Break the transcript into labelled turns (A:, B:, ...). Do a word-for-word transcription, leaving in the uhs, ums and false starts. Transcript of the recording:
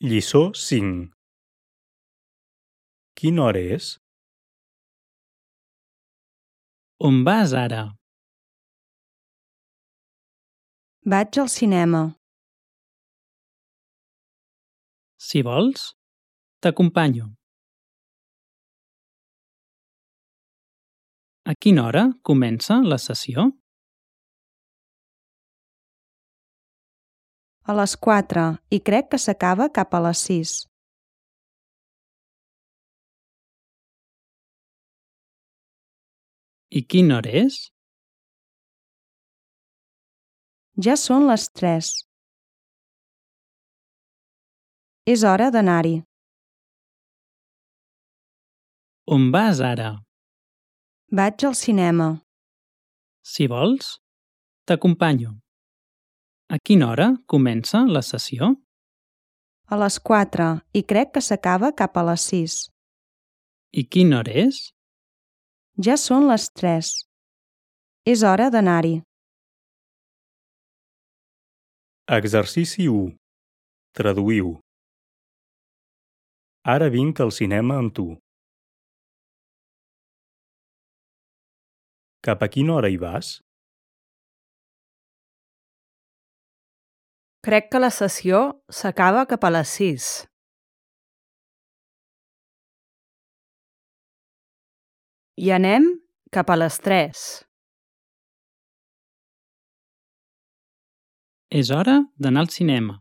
A: Lliçó cinc. Quina hora és?
B: On vas ara?
C: Vaig al cinema.
B: Si vols, t'acompanyo. A quina hora comença la sessió?
C: A les quatre i crec que s'acaba cap a les sis.
B: I quina hora és?
C: Ja són les tres. És hora d'anar-hi.
B: On vas ara?
C: Vaig al cinema.
B: Si vols, t'acompanyo. A quina hora comença la sessió?
C: A les quatre i crec que s'acaba cap a les sis.
B: I quina hora és?
C: Ja són les tres. És hora d'anar-hi.
A: Exercici u. Traduïu. Ara vinc al cinema amb tu. Cap a quina hora hi vas?
D: Crec que la sessió s'acaba cap a les sis. I anem cap a les tres.
B: És hora d'anar al cinema.